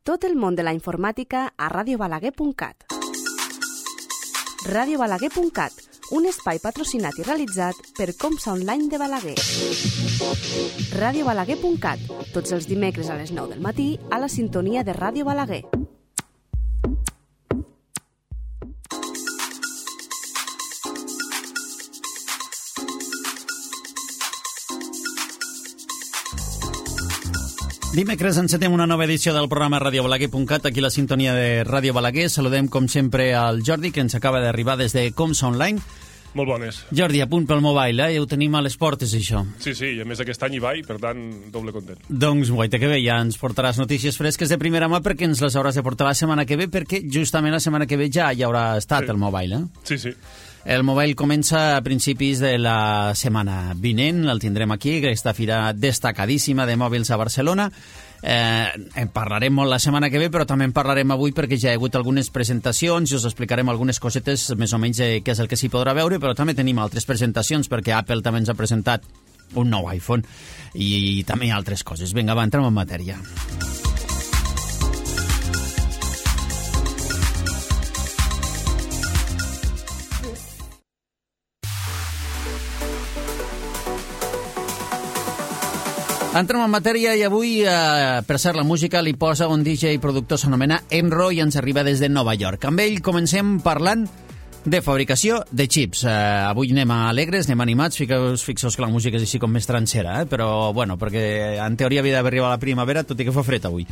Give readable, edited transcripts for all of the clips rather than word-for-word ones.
Tot el món de la informàtica a radiobalaguer.cat. Radiobalaguer.cat, un espai patrocinat i realitzat per Comsa Online de Balaguer. Radiobalaguer.cat, tots els dimecres a les 9 del matí a la sintonia de Ràdio Balaguer. Dimecres encetem una nova edició del programa radiobalaguer.cat, aquí la sintonia de Ràdio Balaguer. Saludem, com sempre, al Jordi, que ens acaba d'arribar des de Comsa Online. Molt bones. Jordi, a punt pel mobile, ja ho tenim a les portes, això. Sí, i a més aquest any hi va i, per tant, doble content. Doncs, guaita que bé, ja ens portaràs notícies fresques de primera mà perquè ens les hauràs de portar la setmana que ve, perquè justament la setmana que ve ja hi haurà estat el mobile, eh? Sí. El mobile comença a principis de la setmana vinent, el tindrem aquí, aquesta fira destacadíssima de mòbils a Barcelona. En parlarem molt la setmana que ve, però també en parlarem avui perquè ja hi ha hagut algunes presentacions i us explicarem algunes cosetes més o menys què és el que s'hi podrà veure, però també tenim altres presentacions perquè Apple també ens ha presentat un nou iPhone i també altres coses. Vinga, va, entrem en matèria. Entrem en matèria i avui, per cert, la música li posa un DJ i productor, s'anomena Emro i ens arriba des de Nova York. Amb ell comencem parlant de fabricació de xips. Avui anem alegres, anem animats, fixeu que la música és així com més transera, però bueno, perquè en teoria havia d'haver arribat la primavera, tot i que fa fred avui.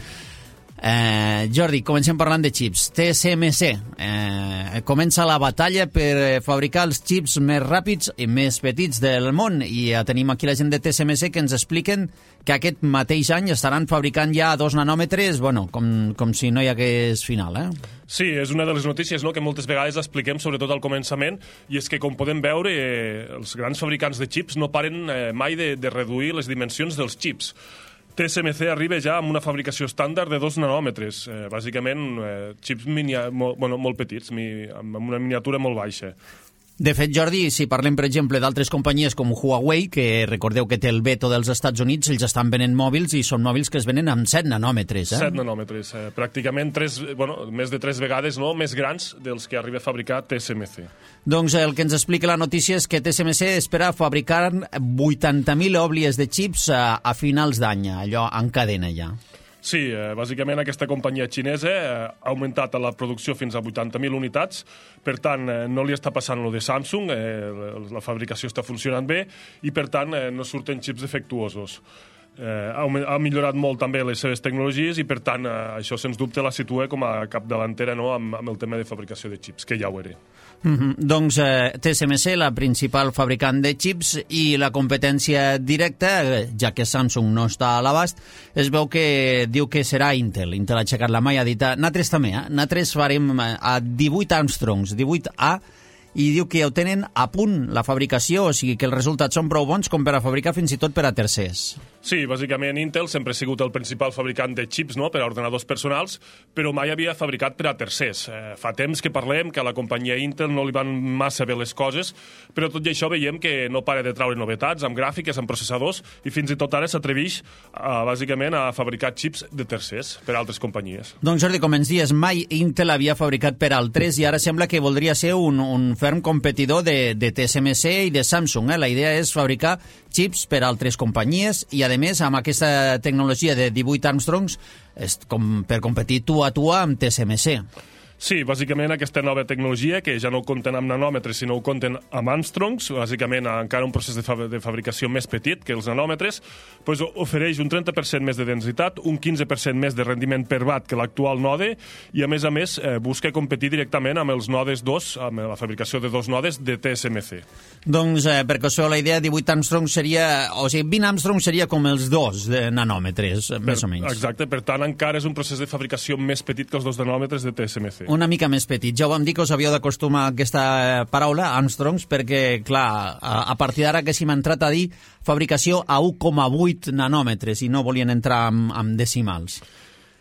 Jordi, comencem parlant de xips. TSMC comença la batalla per fabricar els xips més ràpids i més petits del món i tenim aquí la gent de TSMC que ens expliquen que aquest mateix any estaran fabricant ja 2 nanòmetres, bueno, com si no hi hagués final, Sí, és una de les notícies, no?, que moltes vegades expliquem, sobretot al començament, i és que, com podem veure, els grans fabricants de xips no paren mai de reduir les dimensions dels xips. TSMC arriba ja amb una fabricació estàndard de 2 nanòmetres, bàsicament xips molt petits, amb una miniatura molt baixa. De fet, Jordi, si parlem, per exemple, d'altres companyies com Huawei, que recordeu que té el veto dels Estats Units, ells estan venent mòbils i són mòbils que es venen amb 7 nanòmetres. 7 nanòmetres, pràcticament més de 3 vegades més grans dels que arriba a fabricar TSMC. Doncs el que ens explica la notícia és que TSMC espera fabricar 80.000 òblies de xips a finals d'any, allò en cadena ja. Sí, bàsicament aquesta companyia xinesa ha augmentat la producció fins a 80.000 unitats, per tant no li està passant lo de Samsung, la fabricació està funcionant bé i per tant no surten xips defectuosos. Ha millorat molt també les seves tecnologies i per tant això sens dubte la situa com a capdavantera amb el tema de fabricació de xips, que ja ho era. Doncs TSMC, la principal fabricant de xips i la competència directa, ja que Samsung no està a l'abast, es veu que diu que serà Intel. Intel ha aixecat la mà i ha dit nosaltres també, nosaltres farem a 18 Armstrongs, 18A, i diu que ho tenen a punt la fabricació, o sigui que els resultats són prou bons com per a fabricar fins i tot per a tercers. Sí, bàsicament Intel sempre ha sigut el principal fabricant de xips, no?, per a ordenadors personals, però mai havia fabricat per a tercers. Fa temps que parlem que a la companyia Intel no li van massa bé les coses, però tot i això veiem que no para de traure novetats amb gràfiques, amb processadors, i fins i tot ara s'atreveix bàsicament a fabricar xips de tercers per a altres companyies. Doncs Jordi, com ens dies, mai Intel havia fabricat per altres i ara sembla que voldria ser un ferm competidor de TSMC i de Samsung. La idea és fabricar xips per a altres companyies i, a més, amb aquesta tecnologia de 18 Armstrongs per competir tu a tu amb TSMC. Sí, bàsicament aquesta nova tecnologia, que ja no ho compten amb nanòmetres, sinó ho compten amb Armstrongs, bàsicament encara un procés de fabricació més petit que els nanòmetres, doncs ofereix un 30% més de densitat, un 15% més de rendiment per watt que l'actual node, i a més busca competir directament amb els nodes 2, amb la fabricació de 2 nodes de TSMC. Doncs, perquè això la idea, 18 Armstrongs seria, o sigui, 20 Armstrongs seria com els 2 de nanòmetres, més o menys. Exacte, per tant encara és un procés de fabricació més petit que els 2 nanòmetres de TSMC. Una mica més petit. Ja ho vam dir que us havíeu d'acostumar a aquesta paraula, Armstrongs, perquè, clar, a partir d'ara que s'hi m'ha entrat a dir fabricació a 1,8 nanòmetres i no volien entrar amb decimals.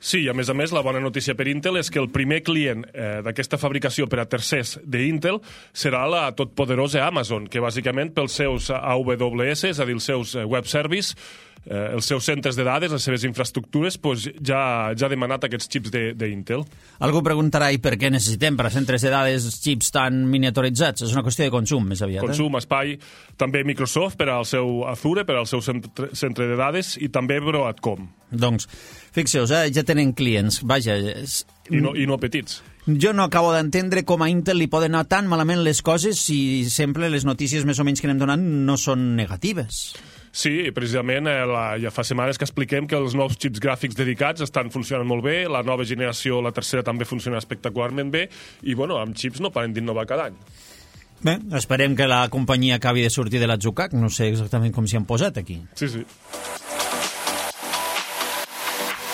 Sí, i a més, la bona notícia per Intel és que el primer client d'aquesta fabricació per a tercers d'Intel serà la totpoderosa Amazon, que bàsicament pels seus AWS, és a dir, els seus web service, els seus centres de dades, les seves infraestructures, ja ha demanat aquests xips d'Intel. Algú preguntarà i per què necessitem per a centres de dades xips tan miniaturitzats? És una qüestió de consum, més aviat. Consum, espai, també Microsoft per al seu Azure, per al seu centre de dades, i també Broadcom. Doncs, fixeu-vos, ja tenen clients, vaja... I no petits. Jo no acabo d'entendre com a Intel li poden anar tan malament les coses si sempre les notícies més o menys que anem donant no són negatives. Sí, precisament ja fa setmanes que expliquem que els nous xips gràfics dedicats estan funcionant molt bé, la nova generació, la tercera, també funciona espectacularment bé, i bueno, amb xips no paren d'innovar cada any. Bé, esperem que la companyia acabi de sortir de l'atzucac, no sé exactament com s'hi han posat aquí. Sí.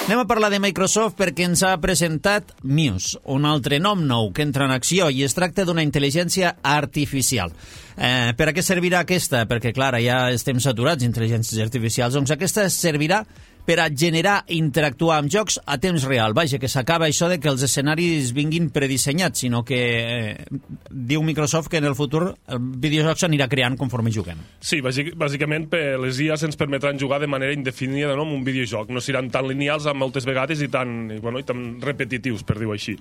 Anem a parlar de Microsoft perquè ens ha presentat Muse, un altre nom nou que entra en acció i es tracta d'una intel·ligència artificial. Per a què servirà aquesta? Perquè, clar, ja estem saturats d'intel·ligències artificials. Doncs aquesta servirà per a generar i interactuar amb jocs a temps real. Vaja, que s'acaba això de que els escenaris vinguin predissenyats, sinó que diu Microsoft que en el futur el videojoc s'anirà creant conforme juguem. Sí, bàsicament les IAs ens permetran jugar de manera indefinida en un videojoc. No seran tan lineals moltes vegades i tan repetitius, per dir-ho així.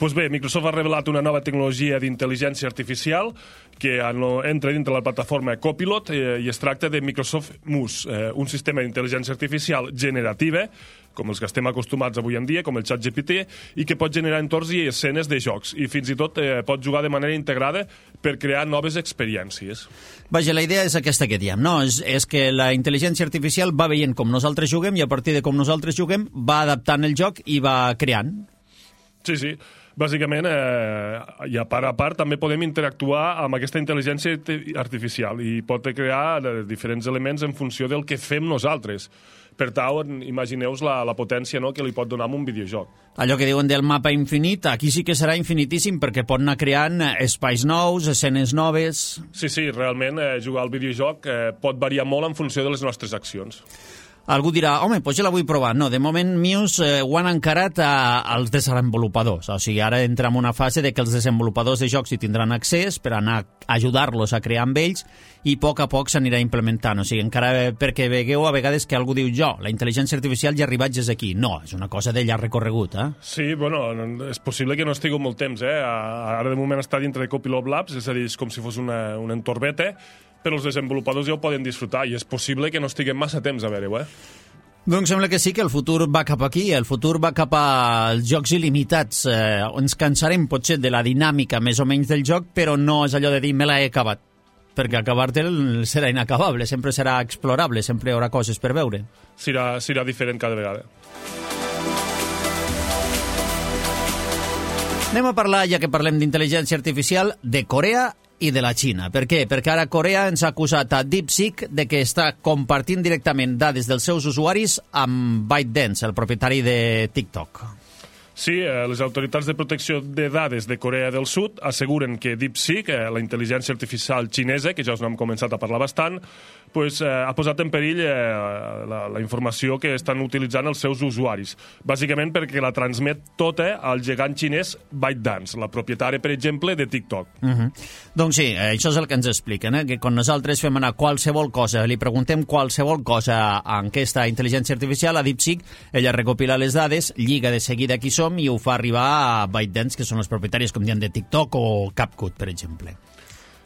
Doncs bé, Microsoft ha revelat una nova tecnologia d'intel·ligència artificial que entra dintre la plataforma Copilot i es tracta de Microsoft Muse, un sistema d'intel·ligència artificial generativa, com els que estem acostumats avui en dia, com el ChatGPT, i que pot generar entorns i escenes de jocs, i fins i tot pot jugar de manera integrada per crear noves experiències. Vaja, la idea és aquesta que diem, no? És que la intel·ligència artificial va veient com nosaltres juguem i a partir de com nosaltres juguem va adaptant el joc i va creant. Sí. Bàsicament, i a part, també podem interactuar amb aquesta intel·ligència artificial i pot crear diferents elements en funció del que fem nosaltres. Per tant, imagineu-vos la potència que li pot donar amb un videojoc. Allò que diuen del mapa infinit, aquí sí que serà infinitíssim perquè pot anar creant espais nous, escenes noves... Sí, realment jugar al videojoc pot variar molt en funció de les nostres accions. Algú dirà, home, doncs ja la vull provar. No, de moment Muse ho han encarat als desenvolupadors. O sigui, ara entra en una fase de que els desenvolupadors de jocs hi tindran accés per anar a ajudar-los a crear amb ells i a poc s'anirà implementant. O sigui, encara perquè vegueu a vegades que algú diu la intel·ligència artificial ja ha arribat des aquí. No, és una cosa de llarg recorregut, Sí, bueno, és possible que no estigui molt temps, Ara de moment està dintre de Copilot Labs, és a dir, és com si fos un entorn beta, però els desenvolupadors ja ho poden disfrutar i és possible que no estiguem massa temps a veure-ho, Doncs sembla que sí, que el futur va cap aquí, el futur va cap als jocs il·limitats. Ens cansarem potser de la dinàmica més o menys del joc, però no és allò de dir me l'he acabat, perquè acabar-te'l serà inacabable, sempre serà explorable, sempre hi haurà coses per veure. Serà diferent cada vegada. Anem a parlar, ja que parlem d'intel·ligència artificial, de Corea i de la Xina. Per què? Perquè ara Corea ens ha acusat a DeepSeek de que està compartint directament dades dels seus usuaris amb ByteDance, el propietari de TikTok. Sí, les autoritats de protecció de dades de Corea del Sud asseguren que DeepSeek, la intel·ligència artificial xinesa, que ja us n'hem començat a parlar bastant, ha posat en perill la informació que estan utilitzant els seus usuaris. Bàsicament perquè la transmet tota al gegant xinès ByteDance, la propietària, per exemple, de TikTok. Doncs sí, això és el que ens expliquen, que quan nosaltres fem anar qualsevol cosa, li preguntem qualsevol cosa a aquesta intel·ligència artificial, a DeepSeek, ella recopila les dades, lliga de seguida qui som i ho fa arribar a ByteDance, que són els propietaris, com diuen, de TikTok o CapCut, per exemple.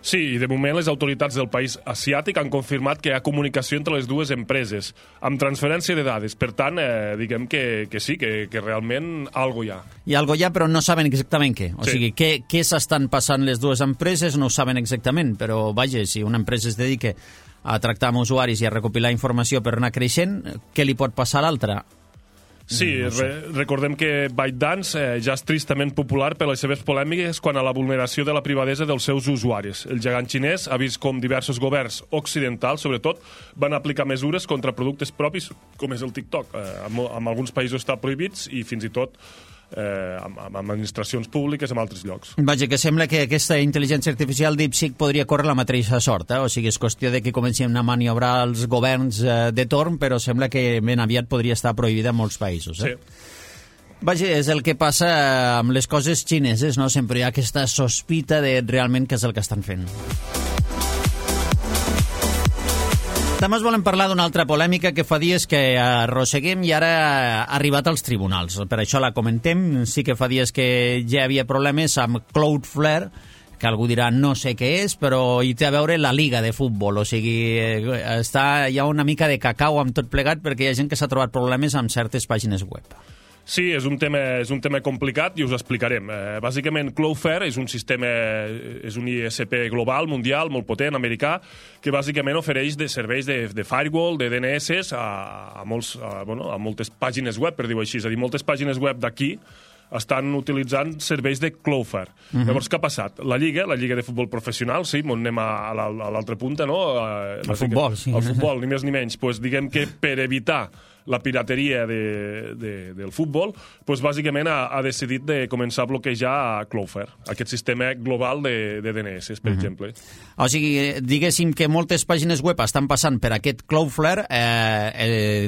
Sí, i de moment les autoritats del país asiàtic han confirmat que hi ha comunicació entre les dues empreses, amb transferència de dades. Per tant, diguem que sí, que realment algo hi ha. Hi ha algo hi ha, però no saben exactament què. O sigui, què s'estan passant les dues empreses no ho saben exactament, però vaja, si una empresa es dedica a tractar amb usuaris i a recopilar informació per anar creixent, què li pot passar a l'altra? Sí, recordem que ByteDance ja és tristament popular per les seves polèmiques quant a la vulneració de la privadesa dels seus usuaris. El gegant xinès ha vist com diversos governs occidentals, sobretot, van aplicar mesures contra productes propis, com és el TikTok. En alguns països està prohibits i fins i tot amb administracions públiques en altres llocs. Vaja, que sembla que aquesta intel·ligència artificial DeepSeek podria córrer la mateixa sort, O sigui, és qüestió de que comencem a maniobrar els governs de torn, però sembla que ben aviat podria estar prohibida en molts països. Sí. Vaja, és el que passa amb les coses xineses, no? Sempre hi ha aquesta sospita de realment què és el que estan fent. També us volem parlar d'una altra polèmica que fa dies que arrosseguem i ara ha arribat als tribunals. Per això la comentem. Sí que fa dies que ja hi havia problemes amb Cloudflare, que algú dirà no sé què és, però hi té a veure la Liga de Futbol. O sigui, hi ha una mica de cacau amb tot plegat perquè hi ha gent que s'ha trobat problemes amb certes pàgines web. Sí, és un tema complicat i us explicarem. Bàsicament, Cloudflare és un sistema, és un ISP global, mundial, molt potent, americà, que bàsicament ofereix serveis de firewall, de DNS a moltes pàgines web, per dir-ho així. És a dir, moltes pàgines web d'aquí estan utilitzant serveis de Cloudflare. Llavors, què ha passat? La Lliga de Futbol Professional, sí, anem a l'altra punta, no? El futbol, sí. El futbol, ni més ni menys. Pues, diguem que per evitar la pirateria del futbol, pues, bàsicament ha decidit de començar a bloquejar Cloudflare, aquest sistema global de DNS, per exemple. O sigui, diguéssim que moltes pàgines web estan passant per aquest Cloudflare.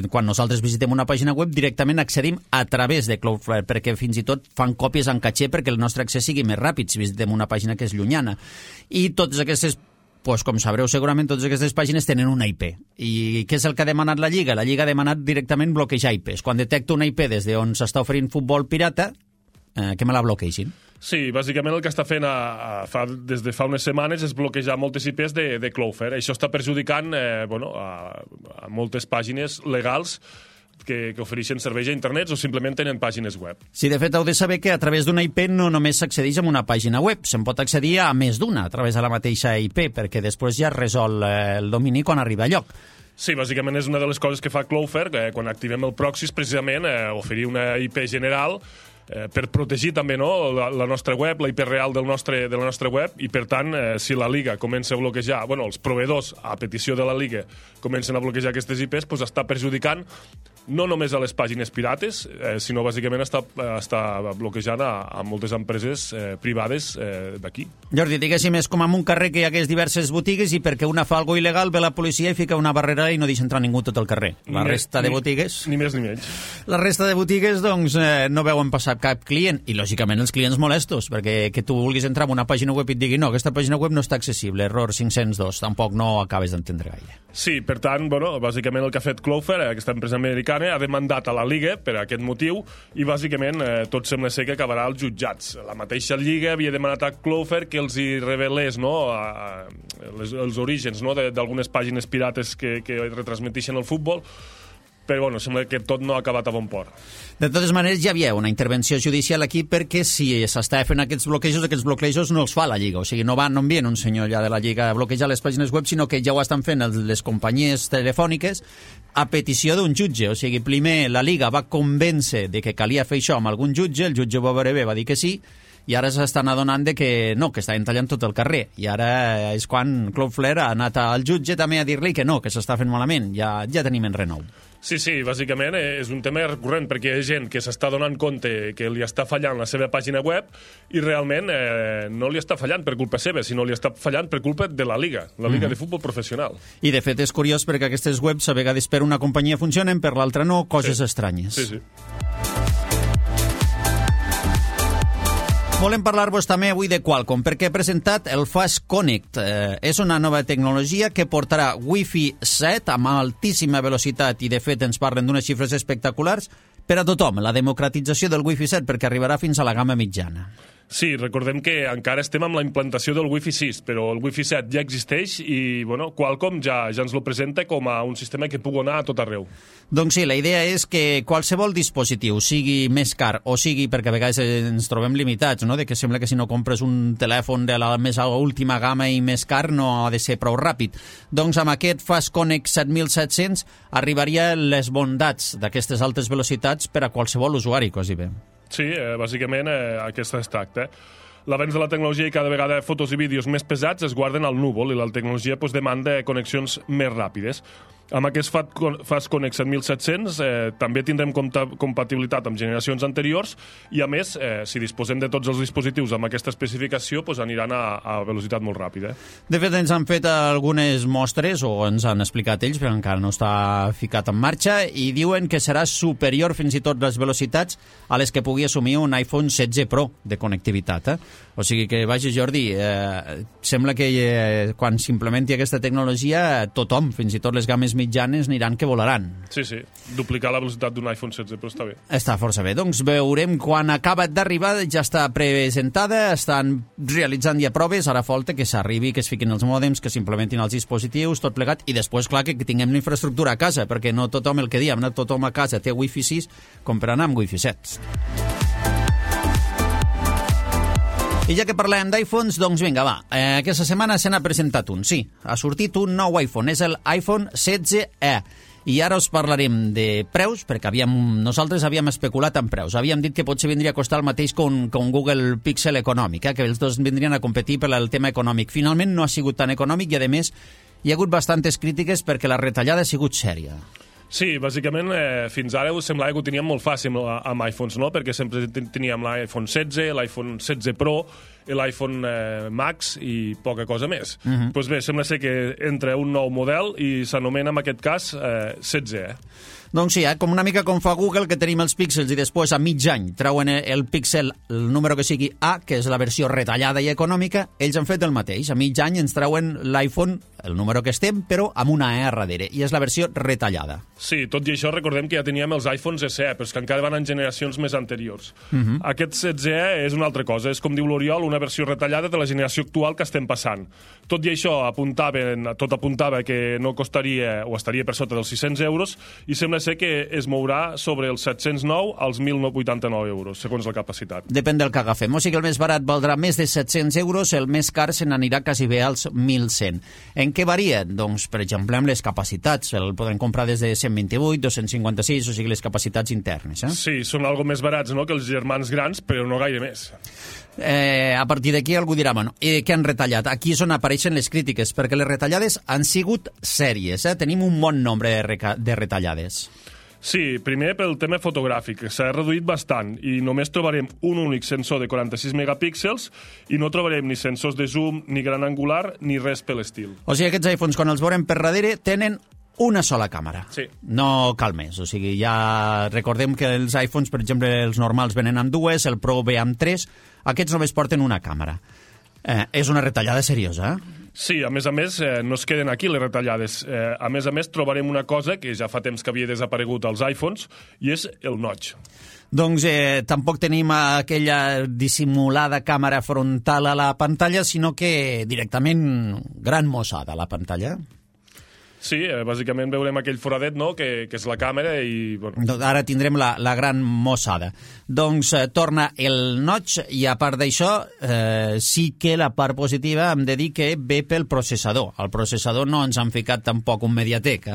Quan nosaltres visitem una pàgina web, directament accedim a través de Cloudflare, perquè fins i tot fan còpies en catxer perquè el nostre accés sigui més ràpid si visitem una pàgina que és llunyana. I totes aquestes, com sabreu segurament, totes aquestes pàgines tenen una IP. I què és el que ha demanat la Lliga? La Lliga ha demanat directament bloquejar IPs. Quan detecta una IP des d'on s'està oferint futbol pirata, que me la bloqueixin. Sí, bàsicament el que està fent des de fa unes setmanes és bloquejar moltes IPs de Cloudflare. Això està perjudicant a moltes pàgines legals que ofereixen serveis a internet o simplement tenen pàgines web. Sí, de fet, heu de saber que a través d'una IP no només s'accedeix a una pàgina web, se'n pot accedir a més d'una a través de la mateixa IP, perquè després ja resol el domini quan arriba a lloc. Sí, bàsicament és una de les coses que fa Cloudflare, quan activem el proxy, és precisament oferir una IP general per protegir també la nostra web, la IP real de la nostra web, i per tant, si la Liga comença a bloquejar, els proveïdors, a petició de la Liga, comencen a bloquejar aquestes IPs, doncs està perjudicant no només a les pàgines pirates, sinó bàsicament està bloquejant a moltes empreses privades d'aquí. Jordi, diguéssim, és com en un carrer que hi hagués diverses botigues i perquè una fa alguna il·legal ve la policia i fica una barrera i no deixa entrar ningú tot el carrer. La resta de botigues... Ni més ni menys. La resta de botigues, doncs, no veuen passar cap client, i lògicament els clients molestos, perquè que tu vulguis entrar en una pàgina web i et digui no, aquesta pàgina web no està accessible, error 502, tampoc no acabes d'entendre gaire. Sí, per tant, bàsicament el que ha fet Cloudflare, aquesta empresa americana, ha demandat a la Lliga per aquest motiu i bàsicament tot sembla ser que acabarà als jutjats. La mateixa Lliga havia demanat a Cloudflare que els hi revelés els orígens d'algunes pàgines pirates que retransmeteixen el futbol, però sembla que tot no ha acabat a bon port. De totes maneres, ja hi havia una intervenció judicial aquí perquè si s'està fent aquests bloquejos no els fa la Lliga. O sigui, no envien un senyor allà de la Lliga a bloquejar les pàgines web, sinó que ja ho estan fent les companyies telefòniques a petició d'un jutge. O sigui, primer la Lliga va convèncer de que calia fer això amb algun jutge, el jutge va veure bé, va dir que sí, i ara s'estan adonant de que no, que estaven tallant tot el carrer. I ara és quan Cloudflare ha anat al jutge també a dir-li que no, que s'està fent malament. Ja tenim en renou. Sí, bàsicament és un tema recurrent perquè hi ha gent que s'està donant compte que li està fallant la seva pàgina web i realment no li està fallant per culpa seva, sinó li està fallant per culpa de la Liga de Futbol Professional. I de fet és curiós perquè aquestes webs a vegades per una companyia funcionen, per l'altra no, coses estranyes. Sí. Volem parlar-vos també avui de Qualcomm, perquè ha presentat el Fast Connect. És una nova tecnologia que portarà Wi-Fi 7 amb altíssima velocitat i, de fet, ens parlen d'unes xifres espectaculars per a tothom, la democratització del Wi-Fi 7, perquè arribarà fins a la gamma mitjana. Sí, recordem que encara estem amb la implantació del Wi-Fi 6, però el Wi-Fi 7 ja existeix i Qualcomm ja ens lo presenta com a un sistema que pugui anar a tot arreu. Doncs sí, la idea és que qualsevol dispositiu, sigui més car o sigui, perquè a vegades ens trobem limitats, no? De que sembla que si no compres un telèfon de la més última gamma i més car no ha de ser prou ràpid. Doncs amb aquest Fast Connect 7700 arribaria les bondats d'aquestes altes velocitats per a qualsevol usuari, quasi bé. Sí, bàsicament aquesta es tracta. L'avenç de la tecnologia i cada vegada fotos i vídeos més pesats es guarden al núvol i la tecnologia demanda connexions més ràpides. Amb aquest Fast Connect 7700 també tindrem compatibilitat amb generacions anteriors i, a més, si disposem de tots els dispositius amb aquesta especificació, doncs aniran a velocitat molt ràpida. De fet, ens han fet algunes mostres, o ens han explicat ells, però encara no està ficat en marxa, i diuen que serà superior fins i tot les velocitats a les que pugui assumir un iPhone 16 Pro de connectivitat. O sigui que, vaja, Jordi, sembla que quan s'implementi aquesta tecnologia, tothom, fins i tot les games mitjanes, aniran que volaran. Sí, duplicar la velocitat d'un iPhone 16 Pro està bé. Està força bé. Doncs veurem quan acaba d'arribar, ja està presentada, estan realitzant ja proves, ara falta que s'arribi, que es fiquin els mòdems, que s'implementin els dispositius, tot plegat, i després, clar, que tinguem la infraestructura a casa, perquè no tothom, el que diem, no tothom a casa té Wi-Fi 6 com per anar amb Wi-Fi 7. I ja que parlem d'iPhones, doncs vinga, va. Aquesta setmana se n'ha presentat un, sí. Ha sortit un nou iPhone, és el iPhone 16e. I ara us parlarem de preus, perquè nosaltres havíem especulat en preus. Havíem dit que potser vindria a costar el mateix que un Google Pixel econòmic, que els dos vindrien a competir per al tema econòmic. Finalment no ha sigut tan econòmic i, a més, hi ha hagut bastantes crítiques perquè la retallada ha sigut sèria. Sí, bàsicament, fins ara semblava que ho teníem molt fàcil amb iPhones, no? Perquè sempre teníem l'iPhone 16, l'iPhone 16 Pro, l'iPhone Max i poca cosa més. Doncs bé, sembla ser que entra un nou model i s'anomena, en aquest cas, 16. Doncs sí, com una mica com fa Google, que tenim els píxels i després a mig any treuen el píxel, el número que sigui A, que és la versió retallada i econòmica, ells han fet el mateix. A mig any ens treuen l'iPhone, el número que estem, però amb una E a darrere, i és la versió retallada. Sí, tot i això recordem que ja teníem els iPhones SE, però és que encara van en generacions més anteriors. Aquest 16E és una altra cosa, és com diu l'Oriol, una versió retallada de la generació actual que estem passant. Tot i això, tot apuntava que no costaria, o estaria per sota dels 600 euros, i sembla ser que es mourà sobre els 709 als 1.089 euros, segons la capacitat. Depèn del que agafem. O sigui que el més barat valdrà més de 700 euros, el més car se n'anirà quasi bé als 1.100. En què varia? Doncs, per exemple, amb les capacitats. El podem comprar des de 128, 256, o sigui, les capacitats internes. Sí, són algo més barats, no?, que els germans grans, però no gaire més. A partir d'aquí algú dirà, bueno, què han retallat? Aquí és on apareixen les crítiques, perquè les retallades han sigut sèries. Tenim un bon nombre de retallades. Sí, primer pel tema fotogràfic, que s'ha reduït bastant i només trobarem un únic sensor de 46 megapíxels i no trobarem ni sensors de zoom, ni gran angular, ni res per l'estil. O sigui, aquests iPhones, quan els veurem per darrere, tenen una sola càmera. Sí. No cal més. O sigui, ja recordem que els iPhones, per exemple, els normals venen amb dues, el Pro ve amb tres, aquests només porten una càmera. És una retallada seriosa, Sí, a més, no es queden aquí les retallades. A més, trobarem una cosa que ja fa temps que havia desaparegut als iPhones, i és el notch. Doncs tampoc tenim aquella dissimulada càmera frontal a la pantalla, sinó que directament gran mossada a la pantalla. Sí, bàsicament veurem aquell foradet, no?, que és la càmera i... Bueno. Ara tindrem la gran mossada. Doncs torna el notch i, a part d'això, sí que la part positiva hem de dir que ve pel processador. Al processador no ens han ficat tampoc un Mediatek,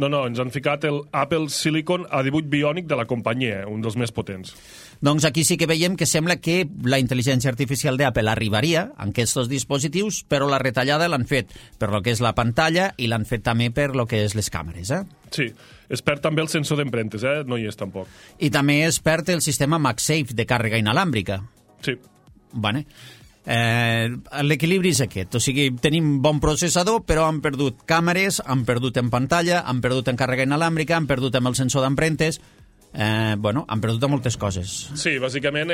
No, ens han ficat el Apple Silicon A18 Bionic de la companyia, un dels més potents. Doncs aquí sí que veiem que sembla que la intel·ligència artificial d'Apple arribaria en aquests dispositius, però la retallada l'han fet per lo que és la pantalla i l'han fet també per lo que és les càmeres, Sí, es perd també el sensor d'empremtes, no hi és tampoc. I també es perd el sistema MagSafe de càrrega inalàmbrica. Sí. Vale. L'equilibri és aquest, o sigui, tenim bon processador, però han perdut càmeres, han perdut en pantalla, han perdut en càrrega inalàmbrica, han perdut amb el sensor d'empremtes, han perdut moltes coses. Sí, bàsicament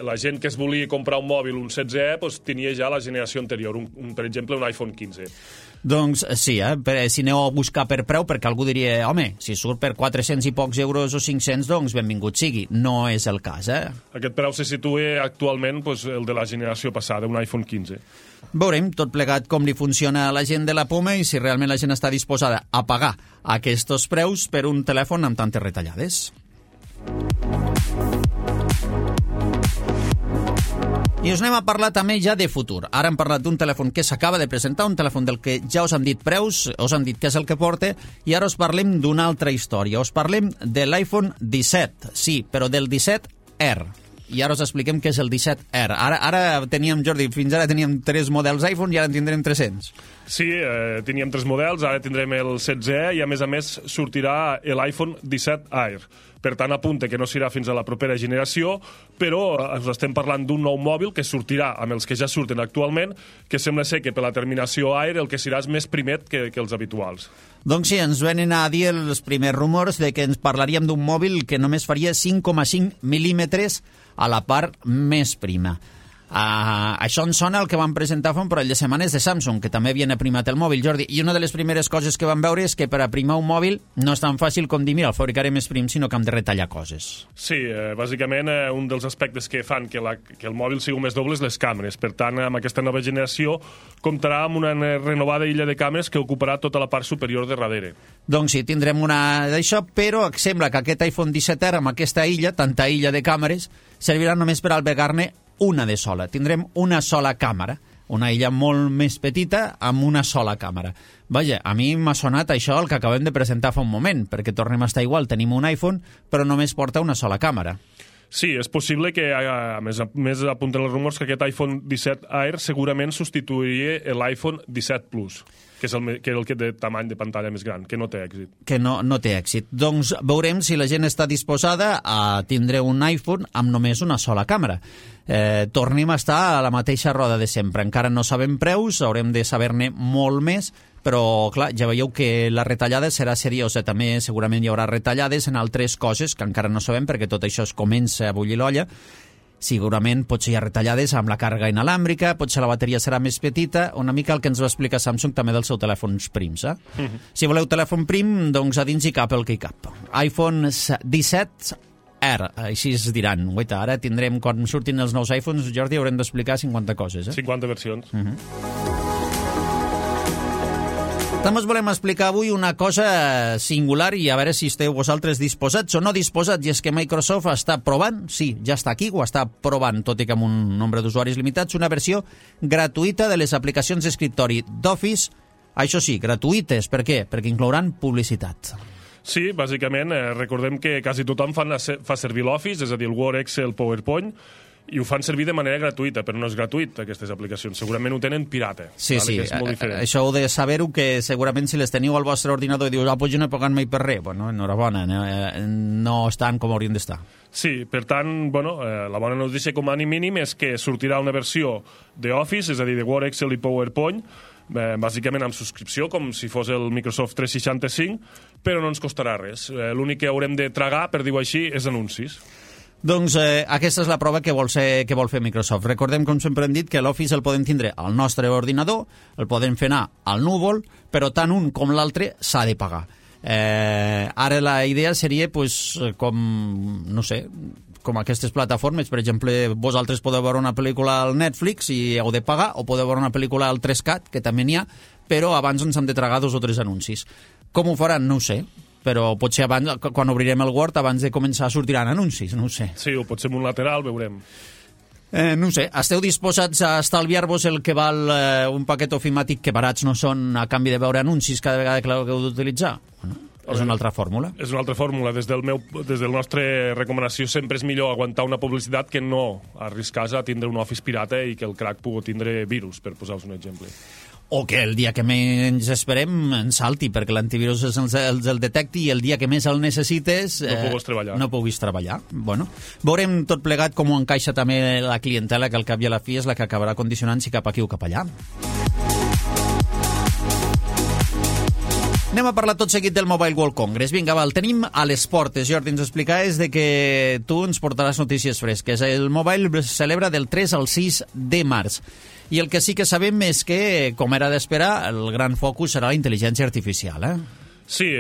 la gent que es volia comprar un mòbil, un 16E, doncs tenia ja la generació anterior, per exemple un iPhone 15. Doncs sí, si aneu a buscar per preu, perquè algú diria, home, si surt per 400 i pocs euros o 500, doncs benvingut sigui. No és el cas, Aquest preu se situa actualment el de la generació passada, un iPhone 15. Veurem tot plegat com li funciona a la gent de la Puma i si realment la gent està disposada a pagar aquests preus per un telèfon amb tantes retallades. I us anem a parlar també ja de futur. Ara hem parlat d'un telèfon que s'acaba de presentar, un telèfon del que ja us hem dit preus, us hem dit què és el que porta, i ara us parlem d'una altra història. Us parlem de l'iPhone 17, sí, però del 17R. i ara us expliquem què és el 17R. Ara teníem, Jordi, fins ara teníem 3 models iPhone i ara en tindrem 300. Sí, teníem 3 models, ara tindrem el 16e i a més sortirà l'iPhone 17 Air. Per tant, apunta que no serà fins a la propera generació, però us estem parlant d'un nou mòbil que sortirà amb els que ja surten actualment, que sembla ser que per la terminació Air el que serà és més primet que els habituals. Doncs sí, ens venen a dir els primers rumors de que ens parlaríem d'un mòbil que només faria 5,5 mil·límetres a la part més prima. Això ens sona el que van presentar fa un parell de setmanes de Samsung, que també havien aprimat el mòbil, Jordi, i una de les primeres coses que vam veure és que per aprimar un mòbil no és tan fàcil com dir, mira, el fabricaré més prim, sinó que hem de retallar coses. Sí, bàsicament un dels aspectes que fan que el mòbil sigui més doble és les càmeres. Per tant, amb aquesta nova generació comptarà amb una renovada illa de càmeres que ocuparà tota la part superior de darrere. Doncs sí, tindrem una d'això, però sembla que aquest iPhone 17R amb aquesta illa, tanta illa de càmeres, servirà només per albergar-ne una de sola. Tindrem una sola càmera, una illa molt més petita amb una sola càmera. Vaja, a mi m'ha sonat això el que acabem de presentar fa un moment, perquè tornem a estar igual, tenim un iPhone, però només porta una sola càmera. Sí, és possible que, a més apunten els rumors, que aquest iPhone 17 Air segurament substituiria l'iPhone 17 Plus, que és el que de tamany de pantalla més gran, que no té èxit. Que no té èxit. Doncs veurem si la gent està disposada a tindre un iPhone amb només una sola càmera. Tornem a estar a la mateixa roda de sempre. Encara no sabem preus, haurem de saber-ne molt més, però, clar, ja veieu que la retallada serà seriosa. També segurament hi haurà retallades en altres coses que encara no sabem, perquè tot això es comença a bullir l'olla. Segurament potser hi ha retallades amb la càrrega inalàmbrica, potser la bateria serà més petita, una mica el que ens va explicar Samsung també dels seus telèfons prims. Si voleu telèfon prim, doncs a dins hi cap el que hi cap. iPhone 17R, així es diran. Guaita, ara tindrem, quan surtin els nous iPhones, Jordi, haurem d'explicar 50 coses. 50 versions. També us volem explicar avui una cosa singular i a veure si esteu vosaltres disposats o no disposats, i és que Microsoft està provant, sí, ja està aquí, ho està provant, tot i que amb un nombre d'usuaris limitats, una versió gratuïta de les aplicacions d'escriptori d'Office, això sí, gratuïtes. Per què? Perquè inclouran publicitat. Sí, bàsicament, recordem que quasi tothom fa servir l'Office, és a dir, el Word, Excel, PowerPoint, i ho fan servir de manera gratuïta, però no és gratuït, aquestes aplicacions. Segurament ho tenen pirata. Sí, vale? sí, que és molt diferent. això heu de saber-ho, que segurament si les teniu al vostre ordinador i dius, pues jo no he pagat mai per res, bueno, enhorabona, no estan com haurien d'estar. Sí, per tant, bueno, la bona notícia com a mínim és que sortirà una versió d'Office, és a dir, de Word, Excel i PowerPoint, bàsicament amb subscripció, com si fos el Microsoft 365, però no ens costarà res. L'únic que haurem de tragar, per dir-ho així, és anuncis. Doncs aquesta és la prova que vol fer Microsoft. Recordem, com sempre hem dit, que l'Office el podem tindre al nostre ordinador, el podem fer anar al núvol, però tant un com l'altre s'ha de pagar. Ara la idea seria, pues, com, no sé, com aquestes plataformes. Per exemple, vosaltres podeu veure una pel·lícula al Netflix i heu de pagar, o podeu veure una pel·lícula al 3CAT, que també n'hi ha, però abans ens hem de tragar 2 o 3 anuncis. Com ho faran? No ho sé. Però potser abans, quan obrirem el Word, abans de començar sortiran anuncis, no ho sé. Sí, o potser en un lateral, veurem. No ho sé, esteu disposats a estalviar-vos el que val un paquet ofimàtic, que barats no són, a canvi de veure anuncis cada vegada que l'heu d'utilitzar? Bueno, és una altra fórmula. És una altra fórmula. Des del nostre recomanació sempre és millor aguantar una publicitat que no arriscar-se a tindre un Office pirata i que el crack pugui tindre virus, per posar-vos un exemple. O que el dia que menys esperem ens salti, perquè l'antivirus el detecti i el dia que més el necessites no puguis treballar. Bueno, veurem tot plegat com ho encaixa també la clientela, que al cap i a la fi és la que acabarà condicionant si cap aquí o cap allà. Anem a parlar tot seguit del Mobile World Congress. Vinga, el tenim a les portes. Jordi, ens explicaves de que tu ens portaràs notícies fresques. El Mobile es celebra del 3 al 6 de març. I el que sí que sabem és que, com era d'esperar, el gran focus serà la intel·ligència artificial, Sí,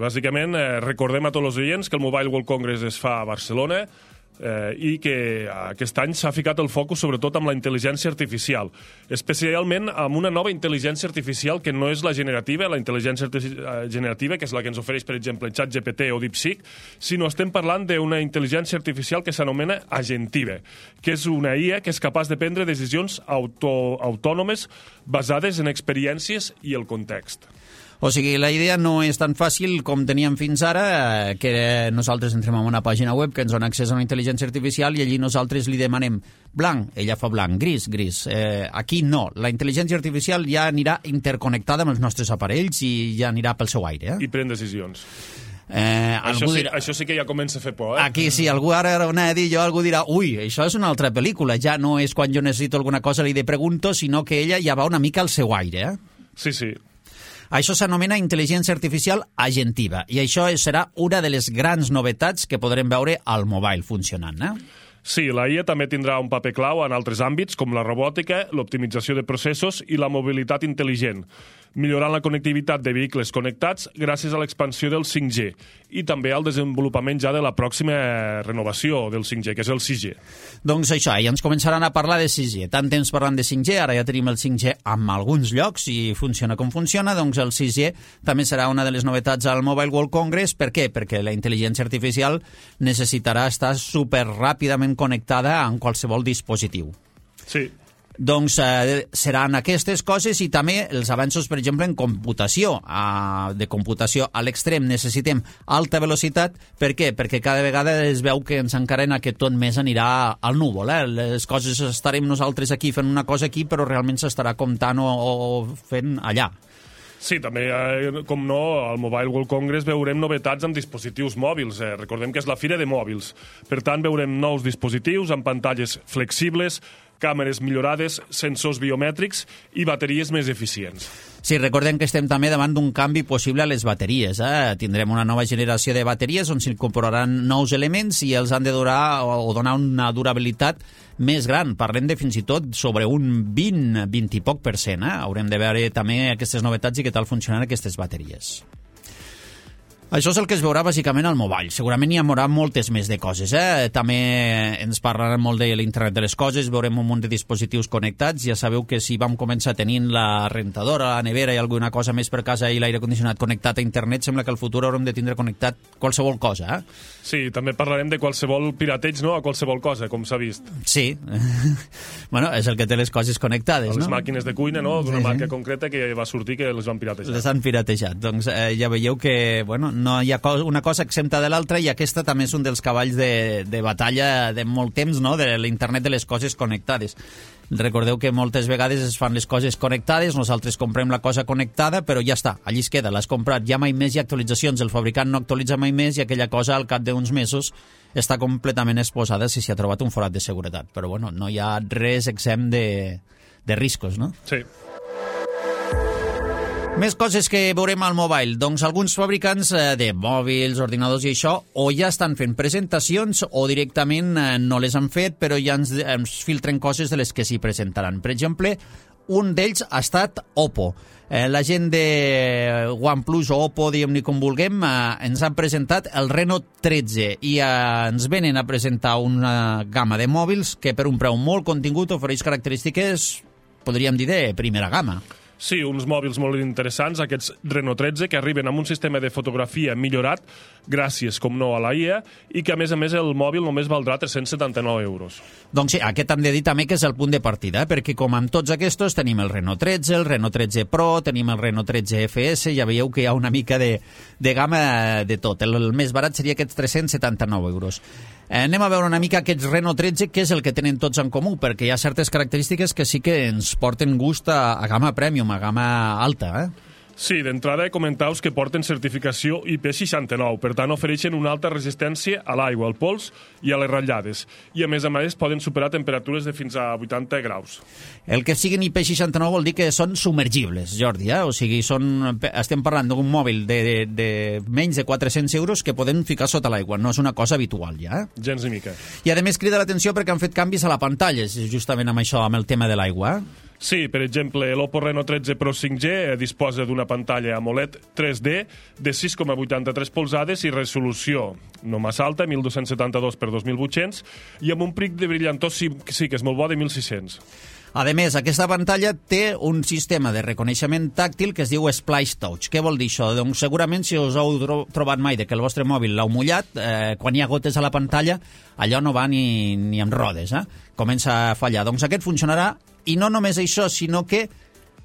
bàsicament recordem a tots els oients que el Mobile World Congress es fa a Barcelona i que aquest any s'ha ficat el focus sobretot amb la intel·ligència artificial, especialment amb una nova intel·ligència artificial que no és la generativa, la intel·ligència generativa, que és la que ens ofereix, per exemple, ChatGPT o DeepSeek, sinó estem parlant d'una intel·ligència artificial que s'anomena agentiva, que és una IA que és capaç de prendre decisions autònomes basades en experiències i el context. O sigui, la idea no és tan fàcil com teníem fins ara, que nosaltres entrem en una pàgina web que ens dona accés a una intel·ligència artificial i allí nosaltres li demanem blanc, ella fa blanc, gris, gris. Aquí no, la intel·ligència artificial ja anirà interconnectada amb els nostres aparells i ja anirà pel seu aire. I pren decisions. Això sí que ja comença a fer por, Aquí sí, algú ara anava a dir jo, algú dirà, ui, això és una altra pel·lícula, ja no és quan jo necessito alguna cosa li pregunto, sinó que ella ja va una mica al seu aire. Sí, sí. Això s'anomena intel·ligència artificial agentiva i això serà una de les grans novetats que podrem veure al mobile funcionant, Sí, la IA també tindrà un paper clau en altres àmbits, com la robòtica, l'optimització de processos i la mobilitat intel·ligent, millorant la connectivitat de vehicles connectats gràcies a l'expansió del 5G i també al desenvolupament ja de la pròxima renovació del 5G, que és el 6G. Doncs això, ja ens començaran a parlar de 6G. Tant temps parlant de 5G, ara ja tenim el 5G en alguns llocs i funciona com funciona, doncs el 6G també serà una de les novetats al Mobile World Congress. Per què? Perquè la intel·ligència artificial necessitarà estar superràpidament connectada en qualsevol dispositiu. Sí. Doncs seran aquestes coses i també els avanços, per exemple, en computació. De computació a l'extrem necessitem alta velocitat. Per què? Perquè cada vegada es veu que ens encarena que tot més anirà al núvol. Les coses estarem nosaltres aquí fent una cosa aquí, però realment s'estarà comptant o fent allà. Sí, també, com no, al Mobile World Congress veurem novetats amb dispositius mòbils. Recordem que és la fira de mòbils. Per tant, veurem nous dispositius amb pantalles flexibles, càmeres millorades, sensors biomètrics i bateries més eficients. Sí, recordem que estem també davant d'un canvi possible a les bateries. Tindrem una nova generació de bateries on s'incorporaran nous elements i els han de durar o donar una durabilitat més gran. Parlem de fins i tot sobre un 20 i poc %. Haurem de veure també aquestes novetats i què tal funcionen aquestes bateries. Això és el que es veurà bàsicament al mobile. Segurament hi haurà moltes més de coses. També ens parlaran molt de l'internet de les coses, veurem un munt de dispositius connectats. Ja sabeu que si vam començar tenint la rentadora, la nevera i alguna cosa més per casa i l'aire condicionat connectat a internet, sembla que al futur haurem de tindre connectat qualsevol cosa. Sí, també parlarem de qualsevol pirateig, no?, a qualsevol cosa, com s'ha vist. Sí. Bueno, és el que té les coses connectades, les màquines de cuina, no?, d'una marca concreta que va sortir que les van piratejar. Les han piratejat. Doncs ja veieu que, bueno, no hi ha una cosa exempta de l'altra i aquesta també és un dels cavalls de batalla de molt temps, no?, de l'internet de les coses connectades. Recordeu que moltes vegades es fan les coses connectades, nosaltres comprem la cosa connectada, però ja està, allí es queda, l'has comprat, ja mai més hi ha actualitzacions, el fabricant no actualitza mai més i aquella cosa al cap d'uns mesos està completament exposada si s'hi ha trobat un forat de seguretat. Però bueno, no hi ha res exempt de riscos, no? Sí. Més coses que veurem al mobile. Doncs alguns fabricants de mòbils, ordinadors i això, o ja estan fent presentacions o directament no les han fet, però ja ens filtren coses de les que s'hi presentaran. Per exemple, un d'ells ha estat Oppo. La gent de OnePlus o Oppo, diguem-ne com vulguem, ens han presentat el Reno 13 i ens venen a presentar una gamma de mòbils que per un preu molt contingut ofereix característiques, podríem dir, de primera gamma. Sí, uns mòbils molt interessants, aquests Reno 13, que arriben amb un sistema de fotografia millorat, gràcies, com no, a la IA, i que, a més, el mòbil només valdrà 379 euros. Doncs sí, aquest hem de dir també que és el punt de partida, perquè com amb tots aquests tenim el Reno 13, el Reno 13 Pro, tenim el Reno 13 FS, ja veieu que hi ha una mica de gamma de tot. El més barat seria aquests 379 euros. Anem a veure una mica aquests Reno 13, què és el que tenen tots en comú, perquè hi ha certes característiques que sí que ens porten gust a gamma premium, a gamma alta, Sí, d'entrada comentaus que porten certificació IP69, per tant ofereixen una alta resistència a l'aigua, al pols i a les ratllades. I a més poden superar temperatures de fins a 80 graus. El que siguin IP69 vol dir que són submergibles, Jordi, O sigui, estem parlant d'un mòbil de menys de 400 euros que podem ficar sota l'aigua, no és una cosa habitual ja. Gens ni mica. I a més crida l'atenció perquè han fet canvis a la pantalla, justament amb això, amb el tema de l'aigua. Sí, per exemple, l'Oppo Reno 13 Pro 5G disposa d'una pantalla AMOLED 3D de 6,83 polzades i resolució no massa alta, 1272 per 2800, i amb un pic de brillantor sí que és molt bo, de 1600. A més, aquesta pantalla té un sistema de reconeixement tàctil que es diu Splash Touch. Què vol dir això? Doncs segurament si us heu trobat mai que el vostre mòbil l'heu mullat, quan hi ha gotes a la pantalla, allò no va ni amb rodes, comença a fallar. Doncs aquest funcionarà, i no només això, sinó que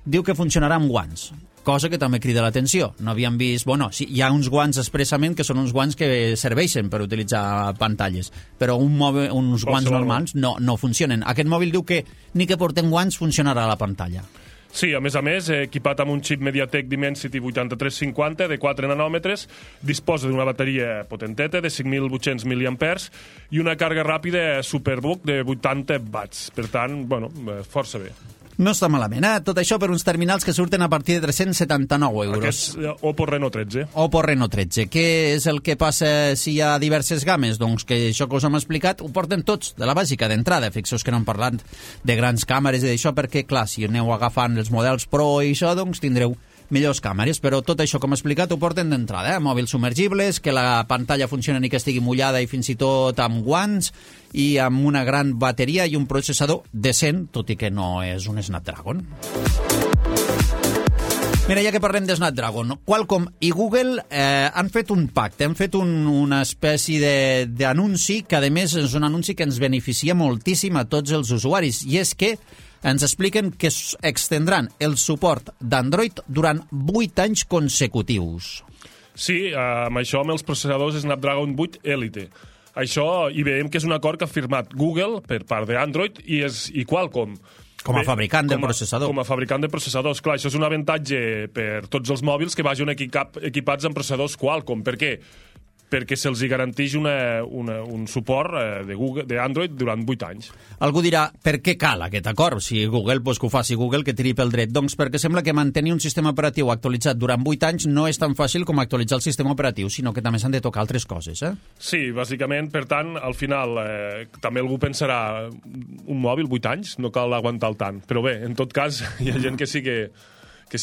diu que funcionarà amb guants. cosa que també crida l'atenció. No havíem vist... Bueno, sí, hi ha uns guants expressament que són uns guants que serveixen per utilitzar pantalles, però uns guants normals no funcionen. Aquest mòbil diu que ni que porten guants funcionarà la pantalla. Sí, a més, equipat amb un xip MediaTek Dimensity 8350 de 4 nanòmetres, disposa d'una bateria potenteta de 5.800 mAh i una càrrega ràpida Superbook de 80 watts. Per tant, força bé. No està malament, Tot això per uns terminals que surten a partir de 379 euros. Aquest Oppo Reno 13. Oppo Reno 13. Què és el que passa si hi ha diverses games? Doncs que això que us hem explicat ho porten tots, de la bàsica, d'entrada. Fixeu que no hem parlat de grans càmeres i d'això, perquè, clar, si aneu agafant els models Pro i això, doncs tindreu millors càmeres, però tot això, com he explicat, ho porten d'entrada, Mòbils submergibles, que la pantalla funcioni ni que estigui mullada i fins i tot amb guants, i amb una gran bateria i un processador decent, tot i que no és un Snapdragon. Mira, ja que parlem de Snapdragon, Qualcomm i Google han fet un pacte, han fet una espècie d'anunci, que a més és un anunci que ens beneficia moltíssim a tots els usuaris, i és que ens expliquen que extendran el suport d'Android durant 8 anys consecutius. Sí, amb això, amb els processadors Snapdragon 8 Elite. Això, i veiem que és un acord que ha firmat Google per part d'Android i Qualcomm. Com a fabricant de processador. Com a fabricant de processadors. Clar, això és un avantatge per tots els mòbils que vagin equipats amb processadors Qualcomm. Per què? Perquè se'ls garanteix un suport d'Android durant 8 anys. Algú dirà, per què cal aquest acord? Si Google, doncs que ho faci Google, que tiri pel dret. Doncs perquè sembla que mantenir un sistema operatiu actualitzat durant 8 anys no és tan fàcil com actualitzar el sistema operatiu, sinó que també s'han de tocar altres coses, Sí, bàsicament, per tant, al final, també algú pensarà, un mòbil 8 anys, no cal aguantar el tant. Però bé, en tot cas, hi ha gent que sí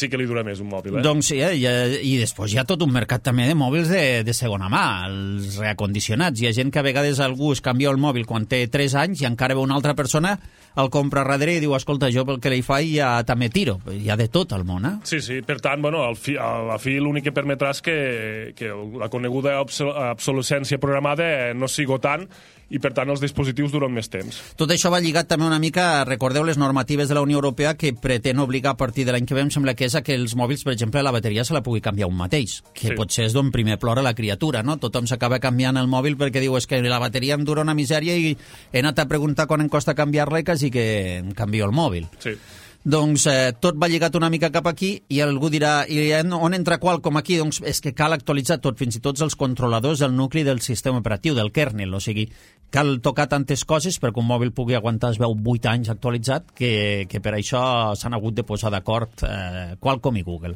que li dura més un mòbil. Doncs sí, i després hi ha tot un mercat també de mòbils de segona mà, els reacondicionats. Hi ha gent que a vegades algú es canvia el mòbil quan té 3 anys i encara ve una altra persona, el compra darrere i diu, escolta, jo pel que li faig ja també tiro. Hi ha de tot al món, Sí, per tant, a la fi l'únic que permetrà és que la coneguda obsolescència programada no sigui tant i, per tant, els dispositius duren més temps. Tot això va lligat també una mica, recordeu, les normatives de la Unió Europea que pretén obligar a partir de l'any que ve, em sembla que és que els mòbils, per exemple, la bateria se la pugui canviar un mateix, que sí. Potser és d'on primer plora la criatura, no? Tothom s'acaba canviant el mòbil perquè diu, és que la bateria em dura una misèria i he anat a preguntar quan em costa canviar-la i quasi que em canvio el mòbil. Sí. Doncs tot va lligat una mica cap aquí i algú dirà, i on entra Qualcomm aquí? Doncs és que cal actualitzar tot, fins i tot els controladors del nucli del sistema operatiu, del kernel, o sigui, cal tocar tantes coses perquè un mòbil pugui aguantar, es veu, 8 anys actualitzat, que per això s'han hagut de posar d'acord Qualcomm i Google.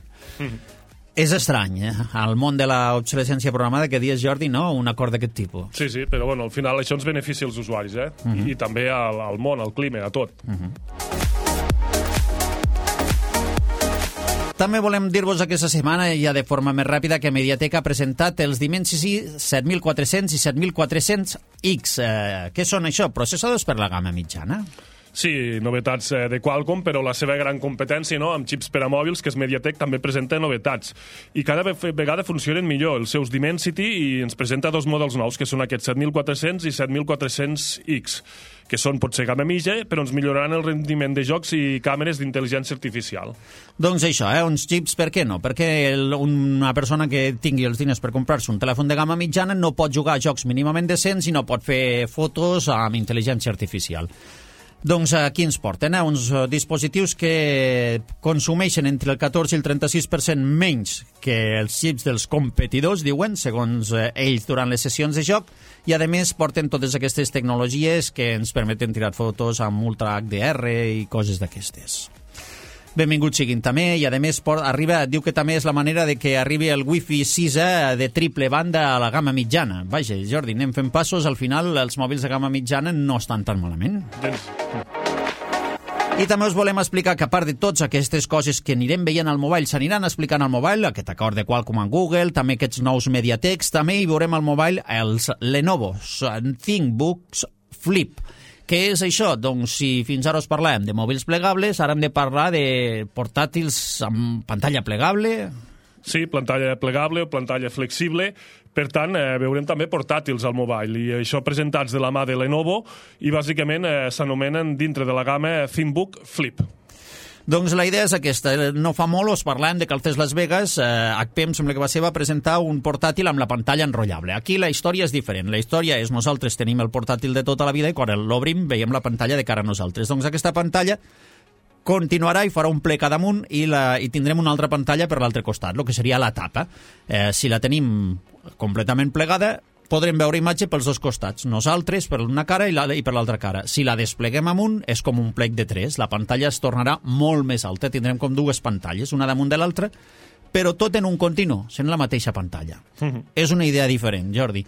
És estrany, al món de l'obsolescència programada, que dius, Jordi, no? Un acord d'aquest tipus. Sí, però al final això ens beneficia als usuaris, I també al món, al clima, a tot. També volem dir-vos aquesta setmana, ja de forma més ràpida, que MediaTek ha presentat els Dimensity 7400 i 7400X. Què són això? Processadors per la gamma mitjana? Sí, novetats de Qualcomm, però la seva gran competència, amb xips per a mòbils, que és MediaTek, també presenta novetats. I cada vegada funcionen millor els seus Dimensity i ens presenta 2 models nous, que són aquests 7400 i 7400X, que són potser gamma mitja, però ens milloraran el rendiment de jocs i càmeres d'intel·ligència artificial. Doncs això, uns xips, per què no? Perquè una persona que tingui els diners per comprar-se un telèfon de gamma mitjana no pot jugar a jocs mínimament decents i no pot fer fotos amb intel·ligència artificial. Doncs aquí ens porten uns dispositius que consumeixen entre el 14 i el 36% menys que els xips dels competidors, diuen, segons ells durant les sessions de joc, i a més porten totes aquestes tecnologies que ens permeten tirar fotos amb Ultra HDR i coses d'aquestes. Benvinguts siguin també, i a més diu que també és la manera de que arribi el Wi-Fi 6 de triple banda a la gamma mitjana. Vaja, Jordi, anem fent passos, al final els mòbils de gamma mitjana no estan tan malament. I també us volem explicar que a part de totes aquestes coses que anirem veient al mobile, s'aniran explicant al mobile, aquest acord de Qualcomm amb Google, també aquests nous MediaTeks, també hi veurem al mobile els Lenovo ThinkBooks Flip. Què és això? Doncs si fins ara us parlàvem de mòbils plegables, ara hem de parlar de portàtils amb pantalla plegable. Sí, pantalla plegable o pantalla flexible. Per tant, veurem també portàtils al mobile, i això presentats de la mà de Lenovo, i bàsicament s'anomenen dintre de la gamma ThinkBook Flip. Doncs la idea és aquesta. No fa molt us parlàvem de que al CES Las Vegas HP em sembla que va presentar un portàtil amb la pantalla enrotllable. Aquí la història és diferent. La història és nosaltres tenim el portàtil de tota la vida i quan l'obrim veiem la pantalla de cara a nosaltres. Doncs aquesta pantalla continuarà i farà un plec a damunt i tindrem una altra pantalla per l'altre costat, el que seria la tapa. Si la tenim completament plegada, podrem veure imatge pels dos costats, nosaltres per una cara i per l'altra cara. Si la despleguem amunt, és com un plec de 3, la pantalla es tornarà molt més alta, tindrem com dues pantalles, una damunt de l'altra, però tot en un continu, sent la mateixa pantalla. És una idea diferent, Jordi.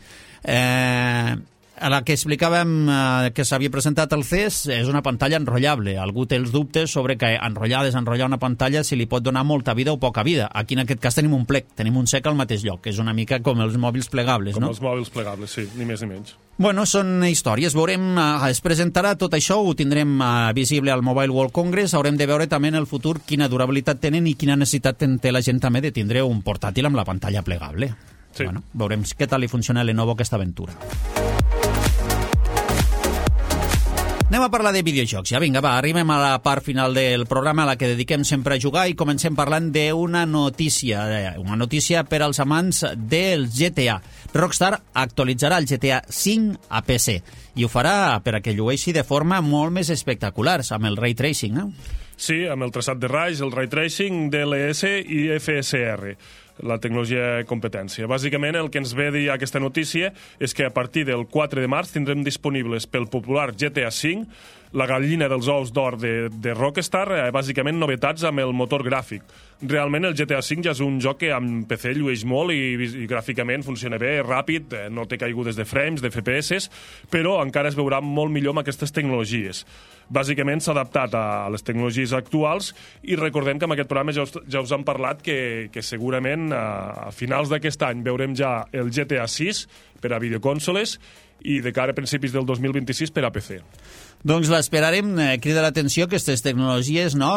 A la que explicàvem que s'havia presentat al CES és una pantalla enrotllable. Algú té els dubtes sobre que desenrotllar una pantalla si li pot donar molta vida o poca vida. Aquí en aquest cas tenim un plec, tenim un sec al mateix lloc, que és una mica com els mòbils plegables, no? Com els mòbils plegables, sí, ni més ni menys. Bueno, són històries. Veurem, es presentarà tot això, ho tindrem visible al Mobile World Congress. Haurem de veure també en el futur quina durabilitat tenen i quina necessitat té la gent també de tindre un portàtil amb la pantalla plegable. Sí. Bueno, veurem què tal li funciona a Lenovo aquesta aventura. Anem a parlar de videojocs. Ja vinga, va, arribem a la part final del programa a la que dediquem sempre a jugar i comencem parlant d'una notícia per als amants del GTA. Rockstar actualitzarà el GTA 5 a PC i ho farà per a que llueixi de forma molt més espectacular, amb el Ray Tracing, Sí, amb el traçat de raigs, el Ray Tracing, DLS i FSR, la tecnologia de competència. Bàsicament, el que ens ve a dir aquesta notícia és que a partir del 4 de març tindrem disponibles pel popular GTA V la gallina dels ous d'or de Rockstar, bàsicament novetats amb el motor gràfic. Realment el GTA V ja és un joc que amb PC llueix molt i gràficament funciona bé, ràpid, no té caigudes de frames, de FPS, però encara es veurà molt millor amb aquestes tecnologies. Bàsicament s'ha adaptat a les tecnologies actuals i recordem que en aquest programa ja us han parlat que segurament a finals d'aquest any veurem ja el GTA 6 per a videoconsoles i de cara a principis del 2026 per a PC. Doncs l'esperarem. Crida l'atenció aquestes tecnologies, no?,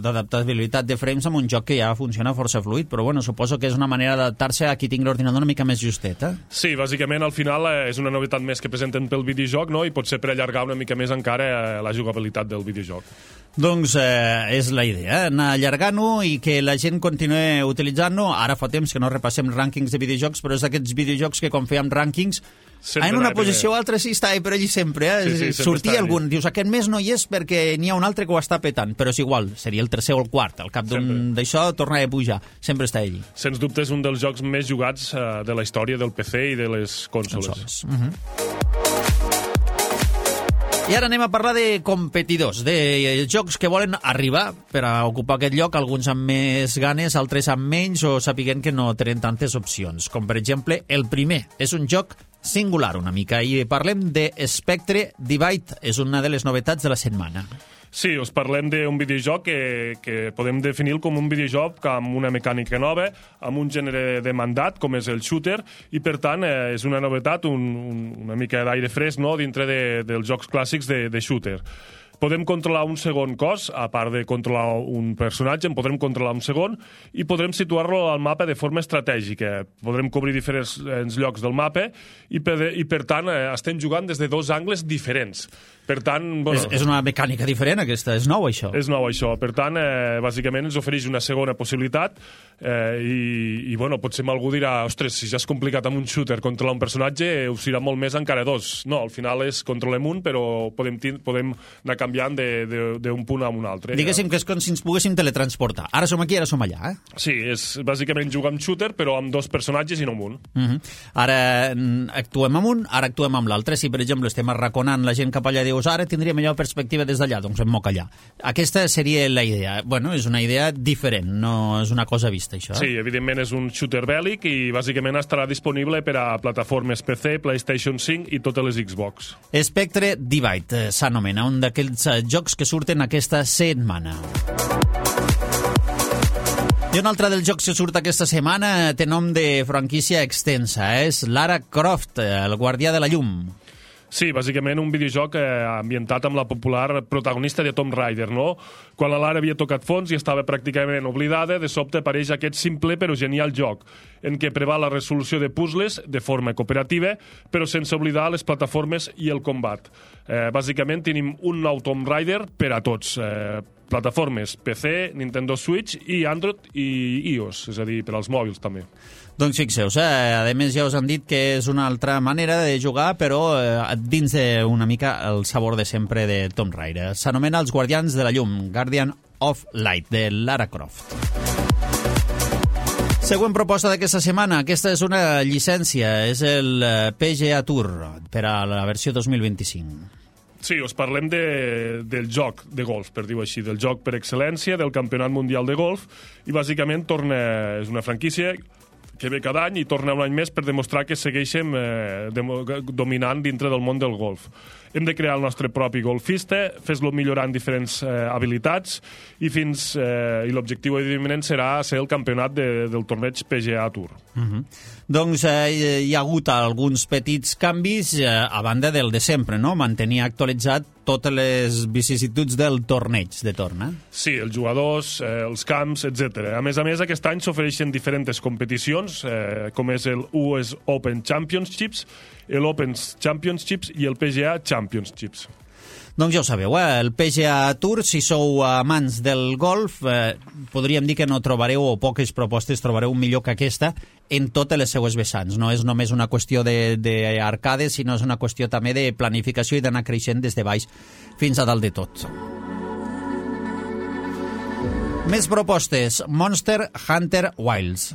d'adaptabilitat de frames amb un joc que ja funciona força fluid, però bueno, suposo que és una manera d'adaptar-se a qui tingui l'ordinador una mica més justet, Sí, bàsicament al final és una novetat més que presenten pel videojoc, no?, i potser per allargar una mica més encara la jugabilitat del videojoc. Doncs és la idea, anar allargant-ho i que la gent continuï utilitzant-ho. Ara fa temps que no repassem rànquings de videojocs, però és d'aquests videojocs que quan fèiem rànquings en una posició o altra sí està, però allí sempre. Sí, sortia algun, dius, aquest mes no hi és perquè n'hi ha un altre que ho està petant, però és igual, seria el tercer o el quart, al cap d'això tornava a pujar, sempre està allí. Sens dubte és un dels jocs més jugats de la història del PC i de les consoles. I ara anem a parlar de competidors, de jocs que volen arribar per a ocupar aquest lloc, alguns amb més ganes, altres amb menys, o sapiguent que no tenen tantes opcions. Com, per exemple, el primer és un joc singular una mica, i parlem de Spectre Divide, és una de les novetats de la setmana. Sí, us parlem d'un videojoc que podem definir com un videojoc amb una mecànica nova, amb un gènere demandat, com és el shooter, i per tant és una novetat, una mica d'aire fresc, no?, dintre dels jocs clàssics de shooter. Podem controlar un segon cos, a part de controlar un personatge, en podrem controlar un segon, i podrem situar-lo al mapa de forma estratègica. Podrem cobrir diferents llocs del mapa i per tant estem jugant des de dos angles diferents. Per tant, bueno, és una mecànica diferent aquesta, és nou això. És nou això, per tant, bàsicament ens ofereix una segona possibilitat i bueno, potser algú dirà, ostres, si ja és complicat amb un shooter controlar un personatge, ho serà molt més encara dos. No, al final controlem un, però podem anar canviant d'un punt a un altre. Diguéssim que és com si ens poguéssim teletransportar. Ara som aquí, ara som allà, Sí, és bàsicament jugar amb shooter, però amb dos personatges i no amb un. Ara actuem amb un, ara actuem amb l'altre. Si, per exemple, estem arraconant la gent cap allà, dius, ara tindria millor perspectiva des d'allà, doncs em moc allà. Aquesta seria la idea. Bueno, és una idea diferent, no és una cosa vista, això. Sí, evidentment és un shooter bèl·lic i bàsicament estarà disponible per a plataformes PC, PlayStation 5 i totes les Xbox. Spectre Divide s'anomena, un d'aquells jocs que surten aquesta setmana. I un altre dels jocs que surt aquesta setmana té nom de franquícia extensa, és Lara Croft, el guardià de la llum. Sí, bàsicament un videojoc ambientat amb la popular protagonista de Tomb Raider, no? Quan la Lara havia tocat fons i estava pràcticament oblidada, de sobte apareix aquest simple però genial joc, en què preval la resolució de puzzles de forma cooperativa, però sense oblidar les plataformes i el combat. Bàsicament tenim un nou Tomb Raider per a tots. plataformes PC, Nintendo Switch i Android i iOS, és a dir, per als mòbils també. Doncs fixeu-vos, a més ja us han dit que és una altra manera de jugar, però dins d'una mica el sabor de sempre de Tomb Raider. S'anomena Els Guardians de la Llum, Guardian of Light, de Lara Croft. Següent proposta d'aquesta setmana. Aquesta és una llicència, és el PGA Tour per a la versió 2025. Sí, us parlem del joc de golf, per dir-ho així, del joc per excel·lència, del Campionat Mundial de Golf, i bàsicament és una franquícia que ve cada any i torna un any més per demostrar que segueixem dominant dintre del món del golf. Hem de crear el nostre propi golfista, fes-lo millorant diferents habilitats i l'objectiu, evidentment, serà ser el campionat del torneig PGA Tour. Doncs hi ha hagut alguns petits canvis a banda del de sempre, no? Mantenir actualitzat totes les vicissituds del torneig de torna. Sí, els jugadors, els camps, etc. A més, aquest any s'ofereixen diferents competicions, com és el US Open Championships, l'Open Championships i el PGA Championships. Doncs ja ho sabeu, el PGA Tour, si sou amants del golf, podríem dir que no trobareu, o poques propostes trobareu millor que aquesta en totes les seues vessants. No és només una qüestió d'arcades, sinó és una qüestió també de planificació i d'anar creixent des de baix fins a dalt de tot. Més propostes. Monster Hunter Wilds.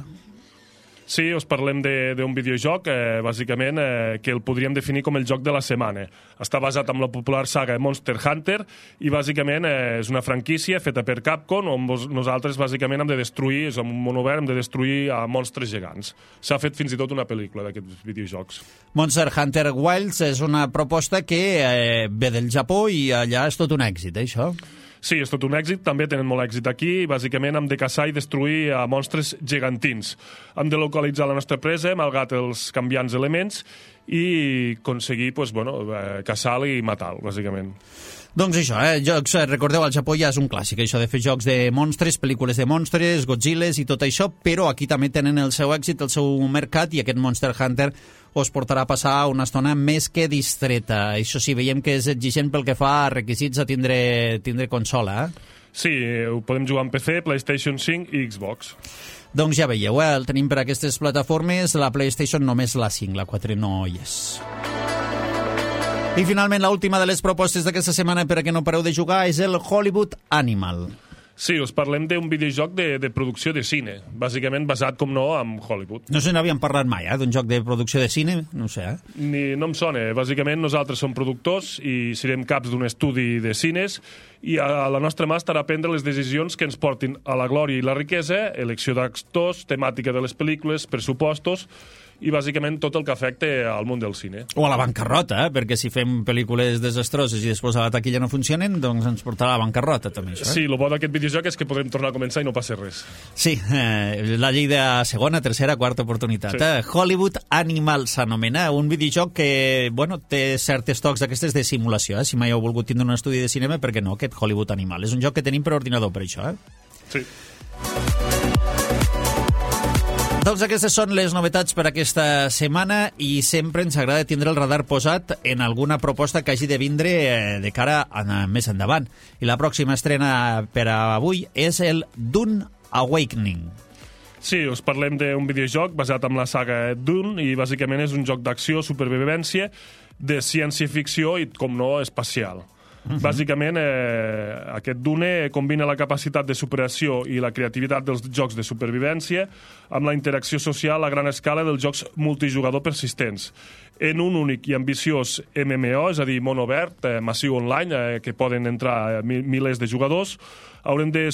Sí, us parlem d'un videojoc, bàsicament, que el podríem definir com el joc de la setmana. Està basat en la popular saga Monster Hunter i, bàsicament, és una franquícia feta per Capcom on nosaltres, bàsicament, hem de destruir, és un món obert, hem de destruir a monstres gegants. S'ha fet fins i tot una pel·lícula d'aquests videojocs. Monster Hunter Wilds és una proposta que ve del Japó i allà és tot un èxit, això? Sí, és tot un èxit, també tenen molt èxit aquí, bàsicament hem de caçar i destruir a monstres gegantins. Hem de localitzar la nostra presa, malgrat els canviants elements, i aconseguir caçar-lo i matar-lo, bàsicament. Doncs això, jocs, recordeu, al Japó ja és un clàssic, això de fer jocs de monstres, pel·lícules de monstres, Godzillas i tot això, però aquí també tenen el seu èxit, el seu mercat, i aquest Monster Hunter us portarà a passar una estona més que distreta. Això sí, veiem que és exigent pel que fa a requisits a tindre consola, Sí, ho podem jugar en PC, PlayStation 5 i Xbox. Doncs ja veieu, el tenim per aquestes plataformes, la PlayStation només la 5, la 4 no hi és. I finalment, l'última de les propostes d'aquesta setmana per a que no pareu de jugar és el Hollywood Animal. Sí, us parlem d'un videojoc de producció de cine, bàsicament basat, com no, en Hollywood. No se n'havíem parlat mai, d'un joc de producció de cine? No ho sé, No em sona. Bàsicament, nosaltres som productors i serem caps d'un estudi de cines i a la nostra mà estarà a prendre les decisions que ens portin a la glòria i la riquesa, elecció d'actors, temàtica de les pel·lícules, pressupostos i bàsicament tot el que afecta al món del cine. O a la bancarrota, perquè si fem pel·lícules desastroses i després a la taquilla no funcionen, doncs ens portarà a la bancarrota també, això. Sí, el bo d'aquest videojoc és que podrem tornar a començar i no passa res. Sí, la llei de segona, tercera, quarta oportunitat. Sí. Hollywood Animal s'anomena, un videojoc que, té certes tocs d'aquestes de simulació. Si mai heu volgut tindre un estudi de cinema, per què no, aquest Hollywood Animal? És un joc que tenim per ordinador, per això, Sí. Doncs aquestes són les novetats per aquesta setmana i sempre ens agrada tindre el radar posat en alguna proposta que hagi de vindre de cara a més endavant. I la pròxima estrena per a avui és el Dune Awakening. Sí, us parlem d'un videojoc basat en la saga Dune i bàsicament és un joc d'acció, supervivència, de ciència-ficció i, com no, espacial. Bàsicament, aquest Dune combina la capacitat de superació i la creativitat dels jocs de supervivència amb la interacció social a gran escala dels jocs multijugador persistents. En un únic i ambiciós MMO, és a dir, món obert, massiu online, que poden entrar milers de jugadors, haurem de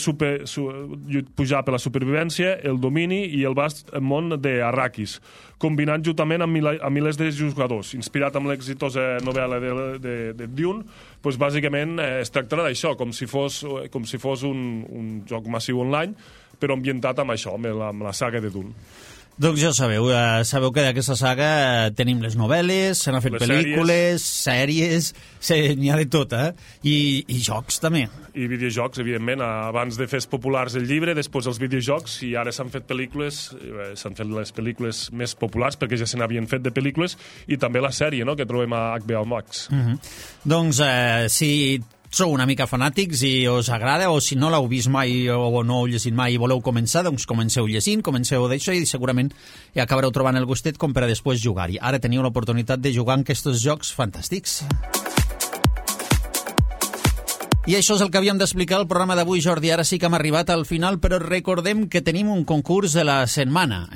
pujar per la supervivència, el domini i el vast món d'Arrakis, combinant juntament amb milers de jugadors. Inspirat amb l'exitosa novel·la de Dune, doncs bàsicament es tractarà d'això, com si fos un joc massiu online, però ambientat amb això, amb la saga de Dune. Doncs ja sabeu que d'aquesta saga tenim les novel·les, se n'han fet pel·lícules, sèries, n'hi ha de tot, I jocs també. I videojocs, evidentment, abans de fer populars el llibre, després els videojocs, i ara s'han fet pel·lícules, s'han fet les pel·lícules més populars, perquè ja se n'havien fet de pel·lícules, i també la sèrie, no?, que trobem a HBO Max. Doncs si sou una mica fanàtics i us agrada, o si no l'heu vist mai o no heu llegit mai i voleu començar, doncs comenceu llegint, comenceu d'això i segurament hi acabareu trobant el gustet com per a després jugar-hi. Ara teniu l'oportunitat de jugar en aquests jocs fantàstics. I això és el que havíem d'explicar al programa d'avui, Jordi. Ara sí que hem arribat al final, però recordem que tenim un concurs de la setmana.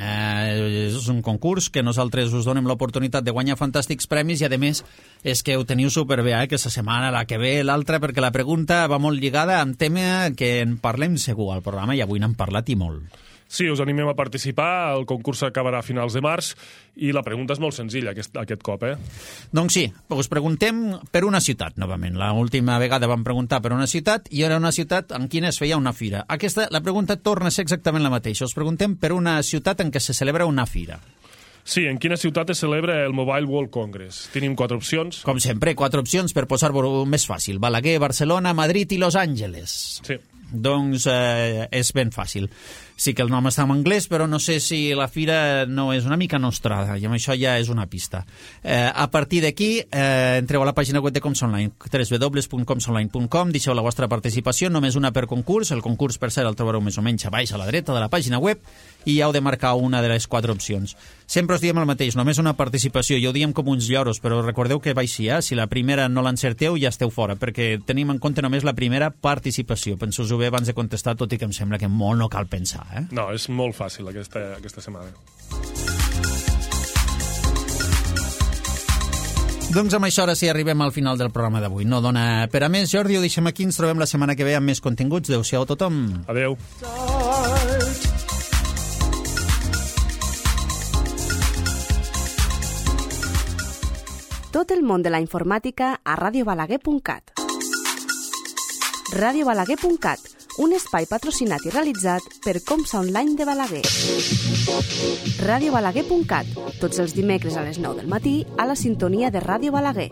És un concurs que nosaltres us donem l'oportunitat de guanyar fantàstics premis i, a més, és que ho teniu superbé, aquesta setmana, la que ve, l'altra, perquè la pregunta va molt lligada amb tema que en parlem segur al programa i avui n'hem parlat i molt. Sí, us animem a participar, el concurs acabarà a finals de març i la pregunta és molt senzilla aquest cop, Doncs sí, us preguntem per una ciutat, novament. L'última vegada vam preguntar per una ciutat i era una ciutat en quina es feia una fira. La pregunta torna a ser exactament la mateixa. Us preguntem per una ciutat en què se celebra una fira. Sí, en quina ciutat es celebra el Mobile World Congress? Tenim 4 opcions. Com sempre, 4 opcions per posar-ho més fàcil. Balaguer, Barcelona, Madrid i Los Angeles. Sí. Doncs és ben fàcil. Sí que el nom està en anglès, però no sé si la fira no és una mica nostrada, i amb això ja és una pista. A partir d'aquí, entreu a la pàgina web de Coms Online, www.comsonline.com, deixeu la vostra participació, només una per concurs. El concurs, per cert, el trobareu més o menys a baix a la dreta de la pàgina web, i heu de marcar una de les 4 opcions. Sempre us diem el mateix, només una participació, i ho diem com uns lloros, però recordeu que va així, si la primera no l'encerteu ja esteu fora, perquè tenim en compte només la primera participació. Penseu-ho bé abans de contestar, tot i que em sembla que molt no cal pensar. No, és molt fàcil aquesta setmana. Doncs amb això ara sí arribem al final del programa d'avui. No dona per a més, Jordi, ho deixem aquí, ens trobem la setmana que ve amb més continguts. Adéu-siau a tothom. Adéu. Tot el món de la informàtica a radiobalaguer.cat. radiobalaguer.cat, un espai patrocinat i realitzat per Comsa Online de Balaguer. radiobalaguer.cat, tots els dimecres a les 9 del matí a la sintonia de Ràdio Balaguer.